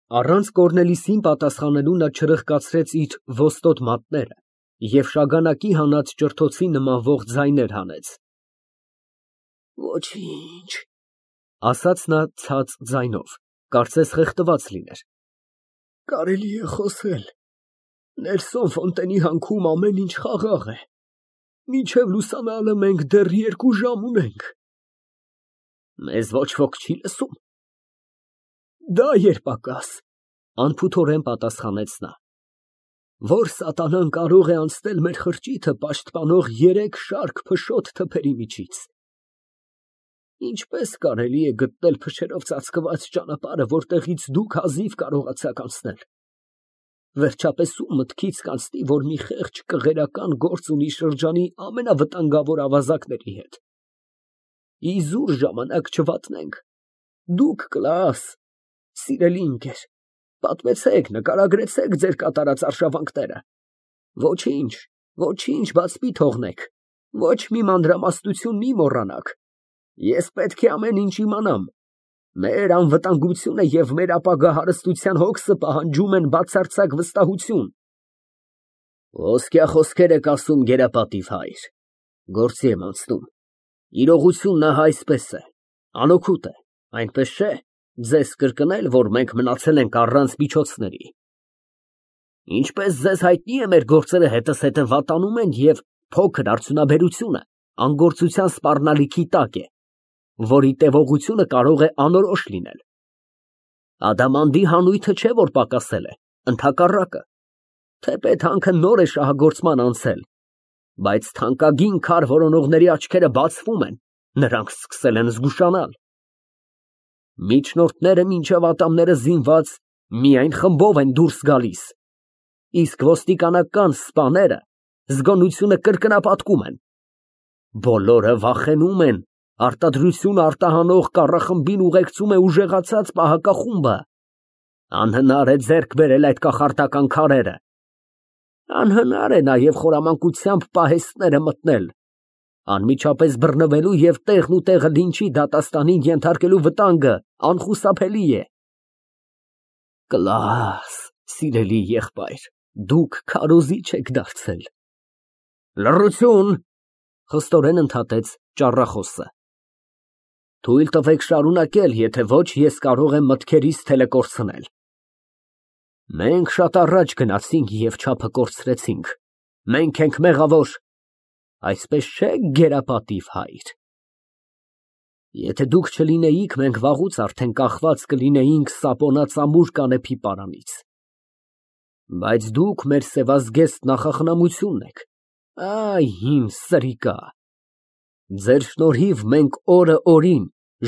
Առանց Կորնելիսին պատասխանելու նա չրխկացրեց իր ոստոտ մատները և շագանակի հանած ճրթոցի նմանվող ձայներ հանեց։ Ոչինչ, ասաց նա ցած ձայնով, կարծես խեղդված լիներ։ Կարելի է խոսել, Նելսոն Ֆոնտենի հանքում ամեն ինչ խաղաղ է, մինչև լուսանալը մենք դեռ 2 ժամ ունենք։ Մեզ ոչ ոք չի լսում։ Դա երբակաս, անփութորեն պատասխանեց նա։ Որ սատանան կարող է անցնել մեր խրճիթը պաշտպանող 3 շարք փշոտ թփերի միջից։ Ինչպես կարելի է գտնել փշերով ծածկված ճանապարհը, որտեղից դուք հազիվ կարողացաք անցնել։ Վերջապես ում մտքից կանցնի, որ մի խեղճ կղերական գործ ունի շրջանի ամենավտանգավոր ավազակների հետ։ Իզուր ժամանակ չվատնենք։ Դուք կլաս, սիրելի ընկեր, պատմեցեք, նկարագրեցեք ձեր կատարած արշավանքները։ Ոչինչ, ոչինչ բաց մի թողնեք, ոչ մի մանրամասնություն մի մոռանաք։ Ես պետք է ամեն ինչ իմանամ։ Մեր անվտանգությունը և մեր ապագա հարստության հոգսը պահանջում են բացարձակ վստահություն։ Ոսկյա խոսքեր եք ասում, գերապատիվ հայր, գործի եմ անցնում։ Իրողությունն ահա այսպես է, անօգուտ է, այնպես չէ, ձեզ կրկնել, որ մենք մնացել ենք առանց միջոցների։ Ինչպես ձեզ հայտնի է, մեր գործերը հետզհետե վատանում են և փոքր արդյունաբերությունը անգործության սպառնալիքի տակ է, որի տևողությունը կարող է անորոշ լինել։ Ադամանդի հանույթը չէ, որ պակասել է, ընդհակառակը, թեպետ հանքը նոր է շահագործման անցել, բայց թանկագին քար որոնողների աչքերը բացվում են, նրանք սկսել են զգուշանալ։ Միջնորդները մինչև ատամները զինված միայն խմբով են դուրս գալիս, իսկ ոստիկանական սպաները զգոնությունը կրկնապատկում են։ Բոլորը վախենում են, արտադրությունը արտահանող կառախմբին ուղեկցում է ուժեղացած պահակախումբը։ Անհնար է ձեռք բերել այդ կախարդական քարերը։ Անհնար է նաև խորամանկությամբ պահեստները մտնել։ Անմիջապես բռնվելու և տեղն ու տեղը լինչի դատաստանին ենթարկելու վտանգը անխուսափելի է։ Կլաս, սիրելի եղբայր, դուք քարոզիչ եք դարձել։ Լռություն, խստորեն ընդհատեց ճառախոսը։ Թույլ տվեք շարունակել, եթե ոչ, ես կարող եմ մտքերիս թելեկորցնել։ Մենք շատ առաջ գնացինք և չափը կորցրեցինք։ Մենք ենք մեղավոր։ Այսպես չէ, գերապատիվ հայր։ Եթե դուք չլինեիք, մենք վաղուց արդեն կախված կլինեինք սապոնածամուր կանեփի պարանից։ Բայց դուք մեր սևազգեստ նախախնամությունն եք։ Այ իմ սրիկա։ Ձեր շնորհիվ մենք օրը օրին,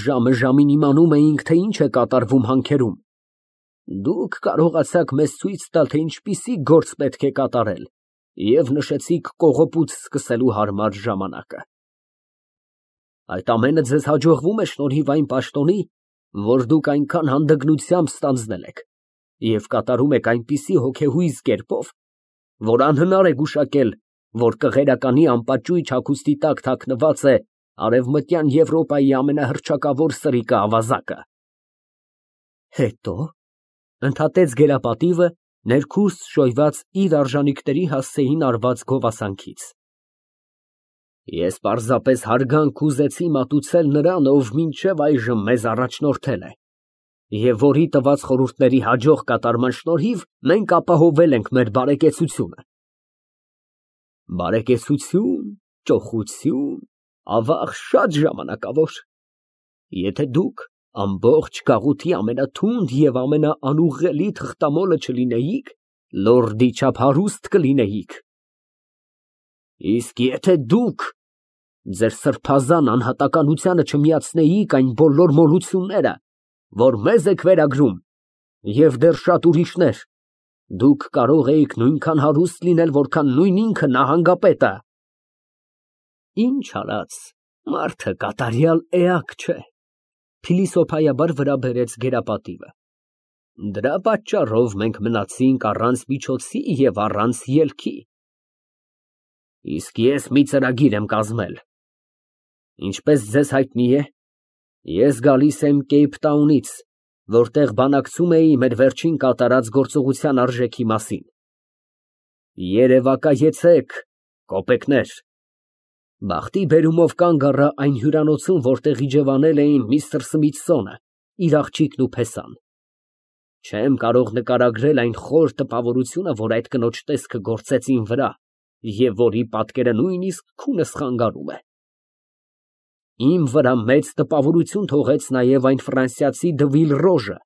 ժամը ժամին իմանում էինք, թե ինչ է կատարվում հանքերում։ Դուք կարողացաք մեզ ցույց տալ, թե ինչպիսի գործ պետք է կատարել, և նշեցիք կողոպուց սկսելու հարմար ժամանակը։ Այդ ամենը ձեզ հաջողվում է շնորհիվ այն պաշտոնի, որ դուք այնքան հանդգնությամբ ստանձնել եք, և կատարում եք այնպիսի հոգեհույզ կերպով, որ անհնար է գուշակել, որ կղերականի անպաճույճ հագուստի տակ թաքնված է Արևմտյան Եվրոպայի ամենահռչակավոր սրիկը ավազակը։ Հետո, ընդհատեց գերապատիվը, ներքուստ շոյված իր արժանիքների հասցեին արված գովասանքից։ Ես պարզապես հարգանք ուզեցի մատուցել նրան, ով մինչև այժմ մեզ առաջնորդել է, և որի տված խորհուրդների հաջող կատարման շնորհիվ մենք ապահովել ենք մեր բարեկեցությունը։ Բարեկեցություն, ճոխություն, ավաղ, շատ ժամանակավոր։ Եթե դուք ամբողջ գաղութի ամենաթունդ և ամենաանուղղելի թղթամոլը չլինեիք, լորդի չափ հարուստ կլինեիք։ Իսկ եթե դուք ձեր սրբազան անհատականությանը չմիացնեիք այն բոլոր մոլությունները, որ մեզ եք վերագրում, և դեռ շատ ուրիշներ, դուք կարող էիք նույնքան հարուստ լինել, որքան նույն ինքը նահանգապետը։ Ինչ արած, մարդը կատարյալ էակ չէ, փիլիսոփայաբար վրա բերեց գերապատիվը։ Դրա պատճառով մենք մնացինք առանց միջոցի և առանց ելքի։ Իսկ ես մի ծրագիր եմ կազմել։ Ինչպես ձեզ հայտնի է, ես գալիս եմ Կեյփթաունից որտեղ բանակցում էի մեր վերջին կատարած գործողության արժեքի մասին։ Երևակայեցեք, կոպեկներ։ Բախտի բերումով կանգ առա այն հյուրանոցում, որտեղ իջևանել էին միստր Սմիթսոնը, իր աղջիկն ու փեսան։ Չեմ կարող նկարագրել այն խոր տպավորությունը, որ այդ կնոջ տեսքը գործեց իմ վրա, և որի պատկերը նույնիսկ քունս խանգարում է։ Իմ վրա մեծ տպավորություն թողեց նաև այն ֆրանսիացի Դվիլռոժը։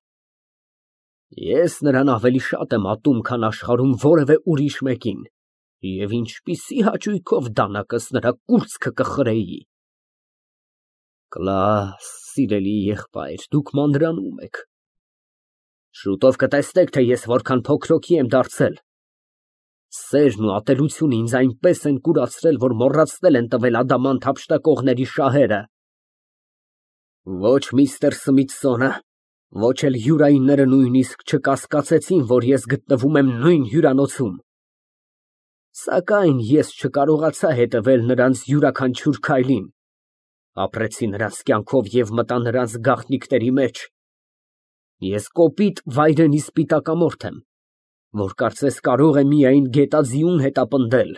Ես նրան ավելի շատ եմ ատում, քան աշխարհում որևէ ուրիշ մեկին, և ինչպիսի հաճույքով դանակս նրա կուրծքը կխրեի։ Կլաս, սիրելի եղբայր, դուք մանրանում եք։ Շուտով կտեսնեք, թե ես որքան փոքրոքի եմ դարձել։ Սերն ու ատելությունը ինձ այնպես են կուրացրել, որ մոռացնել են տվել ադամանդ հափշտակողների շահերը։ Ոչ միստր Սմիթսոնը, ոչ էլ հյուրայինները նույնիսկ չկասկածեցին, որ ես գտնվում եմ նույն հյուրանոցում։ Սակայն ես չկարողացա հետևել նրանց յուրաքանչյուր քայլին, ապրեցի նրանց կյանքով և մտա նրանց գաղտնիքների մեջ։ Ես կոպիտ վայրենի սպիտակամորթ եմ, որ կարծես կարող է միայն գետաձիուն հետապնդել։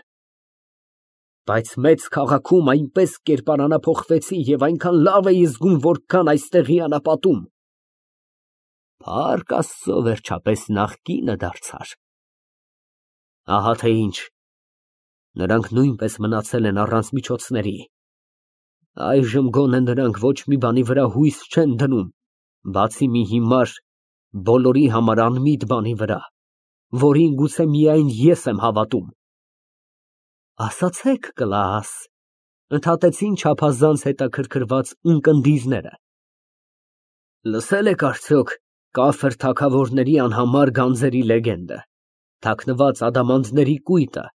Բայց մեծ քաղաքում այնպես կերպարանափոխվեցի և այնքան լավ էի զգում, որքան այստեղի անապատում։ Փառք Աստծո, վերջապես նախկինը դարձար։ Ահա թե ինչ, նրանք նույնպես մնացել են առանց միջոցների։ Այժմ գոնե նրանք ոչ մի բանի վրա հույս չեն դնում, բացի մի հիմար, բոլորի համար անմիտ բանի վրա, որին գուցե միայն ես եմ հավատում։ Ասացեք, Կլաս, ընդհատեցին չափազանց հետաքրքրված ունկնդիրները։ Լսել եք արդյոք կաֆր թագավորների անհամար գանձերի լեգենդը, թաքնված ադամանդների կույտը,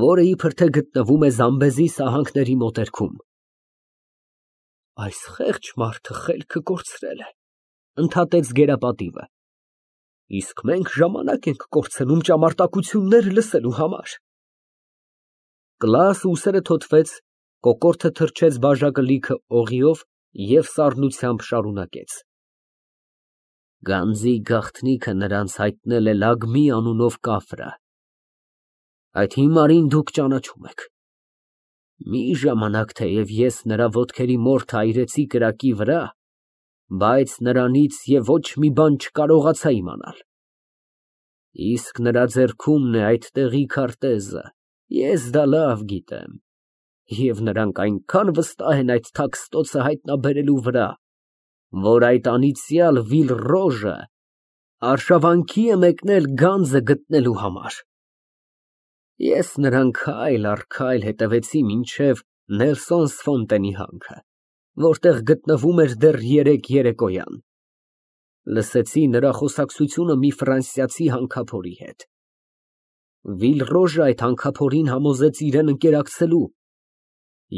որը իբր թե գտնվում է Զամբեզի սահանքների մոտերքում։ Այս խեղճ մարդը խելքը կորցրել է, ընդհատեց գերապատիվը։ Իսկ մենք ժամանակ ենք կորցնում ճամարտակություններ լսելու համար։ Կլաս ուսերը թոթվեց, կոկորդը թրջեց բաժակը լիքը օղիով և սառնությամբ շարունակեց. Գանձի գաղտնիքը նրանց հայտնել է Լագմի անունով կաֆրը։ Այդ հիմարին դուք ճանաչում եք։ Մի ժամանակ թեև ես նրա ոտքերի մորթը այրեցի կրակի վրա, բայց նրանից և ոչ մի բան չկարողացա իմանալ։ Իսկ նրա ձեռքումն է այդ տեղի քարտեզը, ես դա լավ գիտեմ, և նրանք այնքան վստահ են այդ թաքստոցը հայտնաբերելու վրա, որ այդ անիծյալ Վիլռոժը արշավանքի է մեկնել գանձը գտնելու համար։ Ես նրան քայլ առ քայլ հետևեցի մինչև Նելսոնս Ֆոնտենի հանքը, որտեղ գտնվում էր դեռ երեկոյան։ Լսեցի նրա խոսակցությունը մի ֆրանսիացի հանքափորի հետ։ Վիլռոժը այդ հանքափորին համոզեց իրան ընկերակցելու։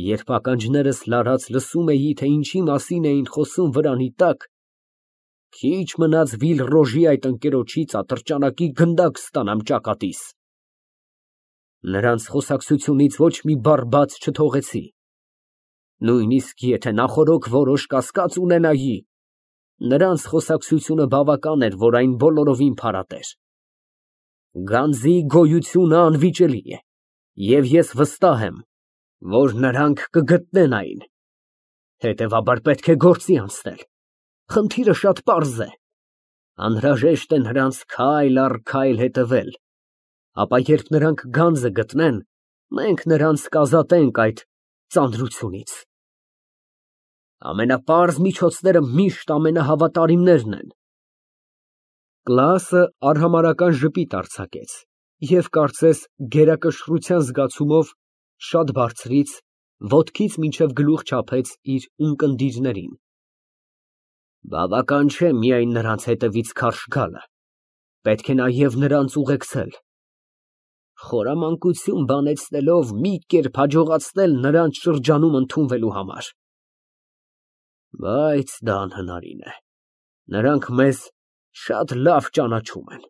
Երբ ականջներս լարած լսում էի, թե ինչի մասին էին խոսում վրանի տակ, քիչ մնաց Վիլռոժի այդ ընկերոջից ատրճանակի գնդակ ստանամ ճակատիս։ Նրանց խոսակցությունից ոչ մի բառ բաց չթողեցի։ Նույնիսկ եթե նախօրոք որոշ կասկած ունենայի, նրանց խոսակցությունը բավական էր, որ այն բոլորովին փարատեր։ Գանձի գոյությունը անվիճելի է, և ես վստահ եմ, որ նրանք կգտնեն այն։ Հետևաբար պետք է գործի անցնել։ Խնդիրը շատ պարզ է։ Անհրաժեշտ է նրանց քայլ առ քայլ հետևել, ապա երբ նրանք գանձը գտնեն, մենք նրանց կազատենք այդ ծանրությունից։ Ամենապարզ միջոցները միշտ ամենահավատարիմներն են։ Կլասը արհամարհական ժպիտ արձակեց և կարծես գերակշռության զգացումով շատ բարձրից, ոտքից մինչև գլուխ չափեց իր ունկնդիրներին։ Բավական չէ միայն նրանց հետևից քարշ գալը, պետք է նաև նրանց ուղեկցել։ Խորամանկություն բանեցնելով մի կերպ հաջողացնել նրանց շրջանում ընդունվելու համար։ Բայց դա անհնարին է, նրանք մեզ շատ լավ ճանաչում են։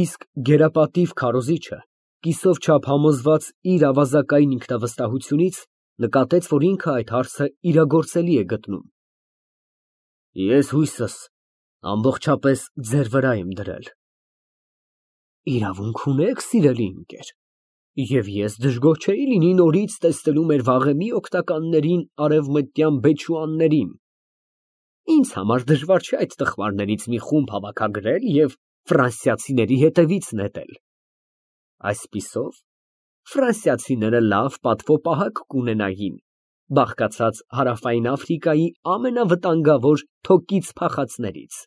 Իսկ գերապատիվ քարոզիչը, կիսով չափ համոզված իր ավազակային ինքնավստահությունից, նկատեց, որ ինքը այդ հարցը իրագործելի է գտնում։ Ես հույսս ամբողջապես ձեր վրա եմ դրել։ Իրավունք ունեք, սիրելի ընկեր, և ես դժգոհ չէի լինի նորից տեսնելու մեր վաղեմի օգնականներին արևմտյան բեչուաններին։ Ինձ համար դժվար չէ այդ տխմարներից մի խումբ հավաքագրել և ֆրանսիացիների հետևից նետել։ Այսպիսով, ֆրանսիացիները լավ պատվոպահակ կունենային, բաղկացած Հարավային Աֆրիկայի ամենավտանգավոր թոկից փախածներից։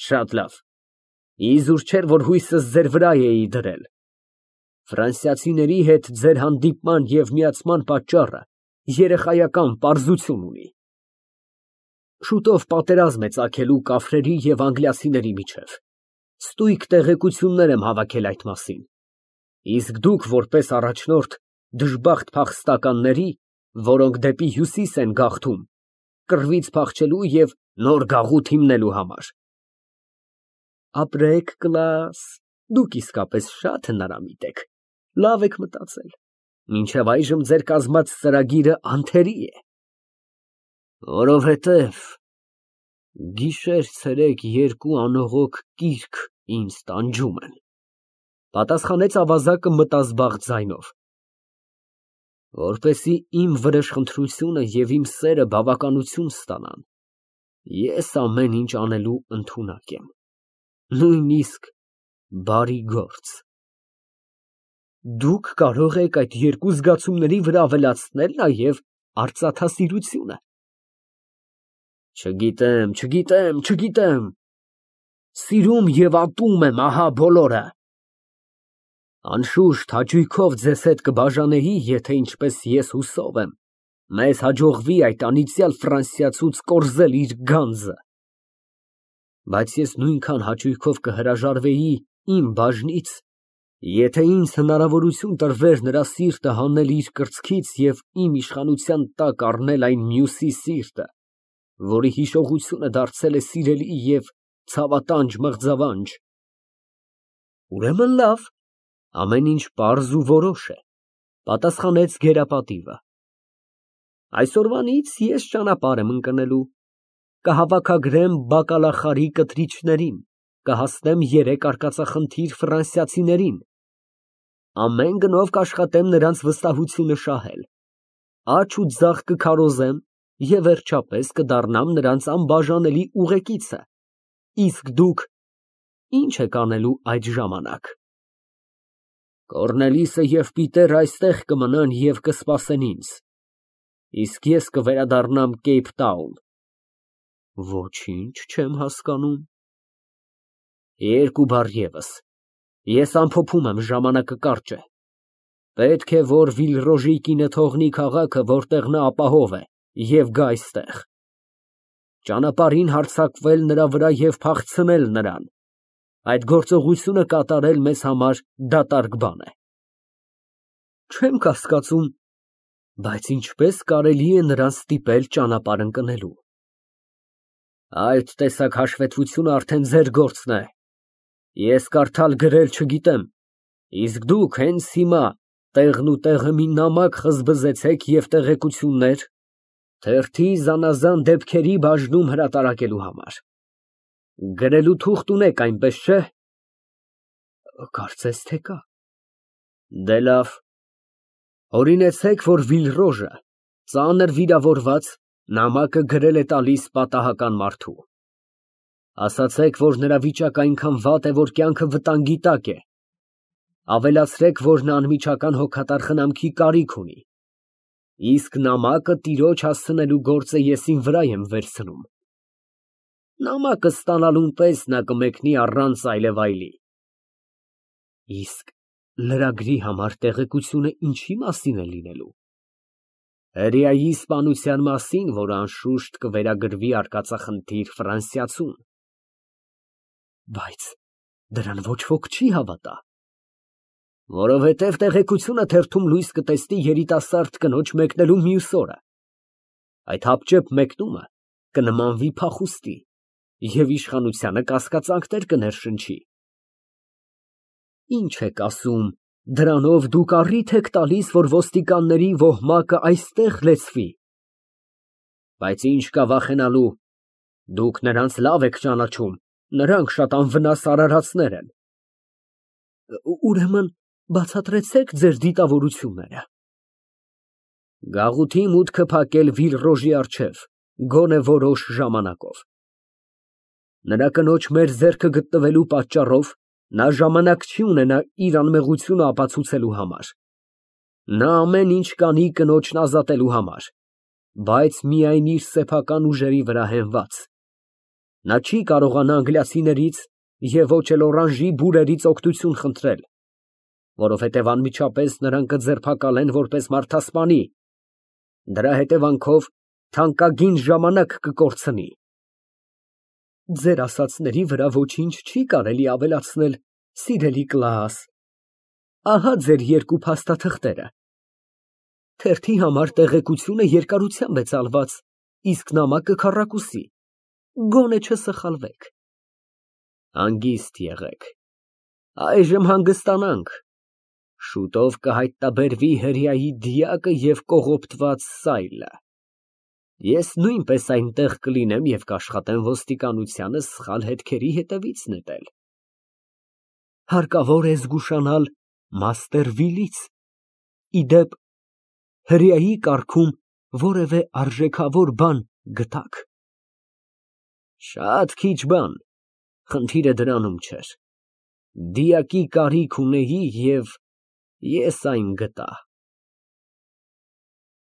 Շատ լավ, իզուր չէր, որ հույսս ձեր վրա էի դրել։ Ֆրանսիացիների հետ ձեր հանդիպման և միացման պատճառը երեխայական պարզություն ունի։ Շուտով պատերազմ է ծագելու կաֆրերի և անգլիացիների միջև։ Ստույգ տեղեկություններ եմ հավաքել այդ մասին։ Իսկ դուք, որպես առաջնորդ դժբախտ փախստականների, որոնք դեպի հյուսիս են գաղթում, կռվից փախչելու և նոր գաղութ հիմնելու համար։ Ապրեք, կլաս, դուք իսկապես շատ հնարամիտ եք, լավ եք մտածել, մինչև այժմ ձեր կազմած ծրագիրը անթերի է։ Որովհետև գիշեր֊ցերեկ երկու անողոք կիրք ինձ տանջում են, պատասխանեց ավազակը մտազբաղ ձայնով։ Որպեսզի իմ վրեժխնդրությունը և իմ սերը բավականություն ստանան, ես ամեն ինչ անելու ընդունակ եմ, նույնիսկ բարի գործ։ Դուք կարող եք այդ երկու զգացումների վրա ավելացնել նաև արծաթասիրությունը։ Չգիտեմ։ Սիրում և ատում եմ, ահա բոլորը։ Անշուշտ հաճույքով ձեզ հետ կբաժանեի, եթե ինչպես ես հուսով եմ, մեզ հաջողվի այդ անիծյալ ֆրանսիացուց կորզել իր գանձը։ Բայց ես նույնքան հաճույքով կհրաժարվեի իմ բաժնից, եթե ինձ հնարավորություն տրվեր նրա սիրտը հանել իր կրծքից և իմ իշխանության տակ առնել այն մյուսի սիրտը, որի հիշողությունը դարձել է սիրելի և ցավատանջ մղձավանջ։ Ուրեմն լավ, ամեն ինչ պարզ ու որոշ է, պատասխանեց գերապատիվը։ Այսօրվանից ես ճանապարհ եմ ընկնելու, կհավաքագրեմ բակալախարի կտրիչներին, կհասնեմ 3 արկածախնդիր ֆրանսիացիներին, ամեն գնով կաշխատեմ նրանց վստահությունը շահել, աջ ու ձախ կքարոզեմ և վերջապես կդառնամ նրանց անբաժանելի ուղեկիցը, իսկ դուք ի՞նչ եք անելու այդ ժամանակ։ Կոռնելիսը և Պիտերը այստեղ կմնան և կսպասեն ինձ, իսկ ես կվերադառնամ Կեյփթաուն։ Ոչինչ չեմ հասկանում։ 2 բառ ևս, ես ամփոփում եմ, ժամանակը կարճ է։ Պետք է, որ Վիլրոժի կինը թողնի քաղաքը, որտեղ նա ապահով է, և գա այստեղ։ Ճանապարհին հարձակվել նրա վրա և փախցնել նրան, այդ գործողությունը կատարել մեզ համար դատարկ բան է։ Չեմ կասկածում, բայց ինչպես կարելի է նրան ստիպել ճանապարհ ընկնելու։ Այդ տեսակ հաշվետվությունը արդեն ձեր գործն է։ Ես կարդալ֊գրել չգիտեմ, իսկ դուք հենց հիմա տեղն ու տեղը մի նամակ խզբզեցեք և տեղեկություններ թերթի զանազան դեպքերի բաժնում հրատարակելու համար։ Գրելու թուղթ ունեք, այնպես չէ։ Կարծես թե կա։ Դե լավ, օրինեցեք, որ Վիլրոժը, ծանր վիրավորված, նամակը գրել է տալիս պատահական մարդու։ Ասացեք, որ նրա վիճակը այնքան վատ է, որ կյանքը վտանգի տակ է։ Ավելացրեք, որ նա անմիջական հոգատար խնամքի կարիք ունի։ Իսկ նամակը տիրոջ հասցնելու գործը ես իմ վրա եմ վերցնում։ Նամակը ստանալուն պես նա կմեկնի առանց այլևայլի։ Իսկ լրագրի համար տեղեկությունը ինչի մասին է լինելու։ Հրեայի սպանության մասին, որ անշուշտ կվերագրվի արկածախնդիր ֆրանսիացուն։ Բայց դրան ոչ ոք չի հավատա։ Որովհետև տեղեկությունը թերթում լույս կտեսնի երիտասարդ կնոջ մեկնելու մյուս օրը։ Այդ հապճեպ մեկնումը կնմանվի փախուստի և իշխանությանը կասկածանքներ կներշնչի։ Ինչ եք ասում, դրանով դուք առիթ եք տալիս, որ ոստիկանների ոհմակը այստեղ լեցվի։ Բայց ինչ կա վախենալու, դուք նրանց լավ եք ճանաչում, նրանք շատ անվնաս արարածներ են։ Ուրեմն բացատրեցեք ձեր դիտավորությունները։ Գաղութի մուտքը փակել Վիլռոժի առջև, գոնե որոշ ժամանակով։ Նրա կնոջ մեր ձեռքը գտնվելու պատճառով նա ժամանակ չի ունենա իր անմեղությունը ապացուցելու համար։ Նա ամեն ինչ կանի կնոջն ազատելու համար, բայց միայն իր սեփական ուժերի վրա հենված։ Նա չի կարողանա անգլիացիներից և ոչ էլ օրանժի բուրերից օգնություն խնդրել, որովհետև անմիջապես նրան կձերբակալեն որպես մարդասպանի, դրա հետևանքով թանկագին ժամանակ կկորցնի։ Ձեր ասածների վրա ոչինչ չի կարելի ավելացնել, սիրելի Կլաաս, ահա ձեր երկու փաստաթղթերը։ Թերթի համար տեղեկությունը երկարությամբ է ծալված, իսկ նամակը քառակուսի, գոնե չսխալվեք։ Հանգիստ եղեք, այժմ հանգստանանք, շուտով կհայտնաբերվի հրեայի դիակը և կողոպտված սայլը։ Ես նույնպես այնտեղ կլինեմ և կաշխատեմ ոստիկանությանը սխալ հետքերի հետևից նետել։ Հարկավոր է զգուշանալ մաստեր Վիլից, ի դեպ, հրեայի կառքում որևէ արժեքավոր բան գտա՞ք։ Շատ քիչ բան, խնդիրը դրանում չէր։ Դիակի կարիք ունեի և ես այն գտա։